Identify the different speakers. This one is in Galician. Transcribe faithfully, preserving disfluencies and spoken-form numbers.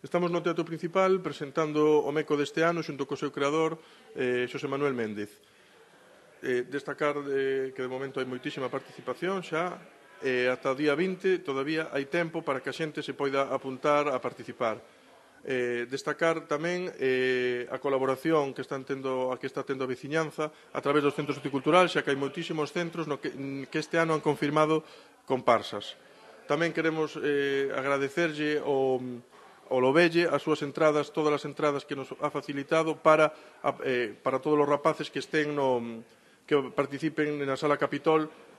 Speaker 1: Estamos no Teatro Principal presentando o Meco deste ano xunto co seu creador, eh, Xosé Manuel Méndez. Eh, destacar eh, que de momento hai moitísima participación xa, e ata o día vinte todavía hai tempo para que a xente se poida apuntar a participar. Eh, destacar tamén eh, a colaboración que, están tendo, a que está tendo a veciñanza a través dos centros horticulturais, xa que hai moitísimos centros no que, que este ano han confirmado comparsas. Tamén queremos eh, agradecerlle o, o Lobelle as súas entradas, todas as entradas que nos ha facilitado para, eh, para todos os rapaces que estén no, que participen na Sala Capitol